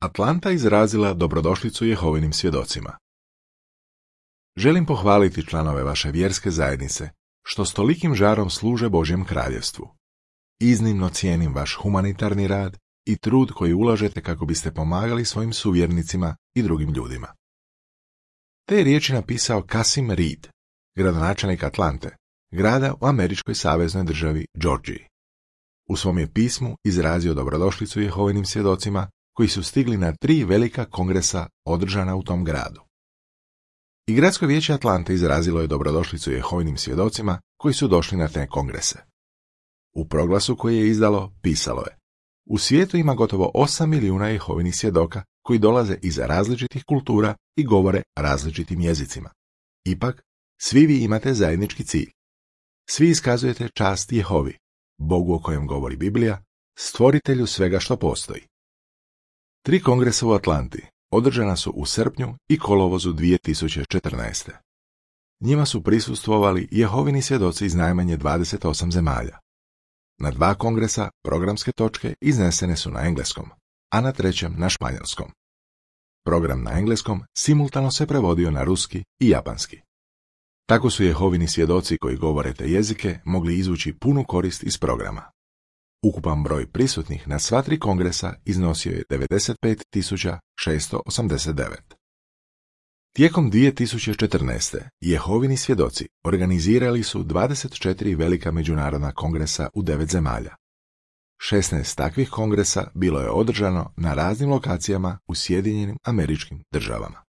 Atlanta izrazila dobrodošlicu Jehovinim svjedocima. Želim pohvaliti članove vaše vjerske zajednice, što s tolikim žarom služe Božjem kraljevstvu. Iznimno cijenim vaš humanitarni rad i trud koji ulažete kako biste pomagali svojim suvjernicima i drugim ljudima. Te je riječi napisao Kasim Reed, gradonačelnik Atlante, grada u američkoj saveznoj državi Georgiji. U svom je pismu izrazio dobrodošlicu Jehovinim svjedocima koji su stigli na 3 velika kongresa održana u tom gradu. I gradsko vijeće Atlante izrazilo je dobrodošlicu Jehovinim svjedocima koji su došli na te kongrese. U proglasu koji je izdalo pisalo je: u svijetu ima gotovo 8 milijuna Jehovinih svjedoka koji dolaze iz različitih kultura i govore različitim jezicima. Ipak, svi vi imate zajednički cilj. Svi iskazujete čast Jehovi, Bogu o kojem govori Biblija, stvoritelju svega što postoji. 3 kongresa u Atlanti održana su u srpnju i kolovozu 2014. Njima su prisustvovali Jehovini svjedoci iz najmanje 28 zemalja. Na 2 kongresa programske točke iznesene su na engleskom, a na 3. na španjolskom. Program na engleskom simultano se prevodio na ruski i japanski. Tako su Jehovini svjedoci koji govore te jezike mogli izvući punu korist iz programa. Ukupan broj prisutnih na sva 3 kongresa iznosio je 95.689. Tijekom 2014. Jehovini svjedoci organizirali su 24 velika međunarodna kongresa u 9 zemalja. 16 takvih kongresa bilo je održano na raznim lokacijama u Sjedinjenim Američkim Državama.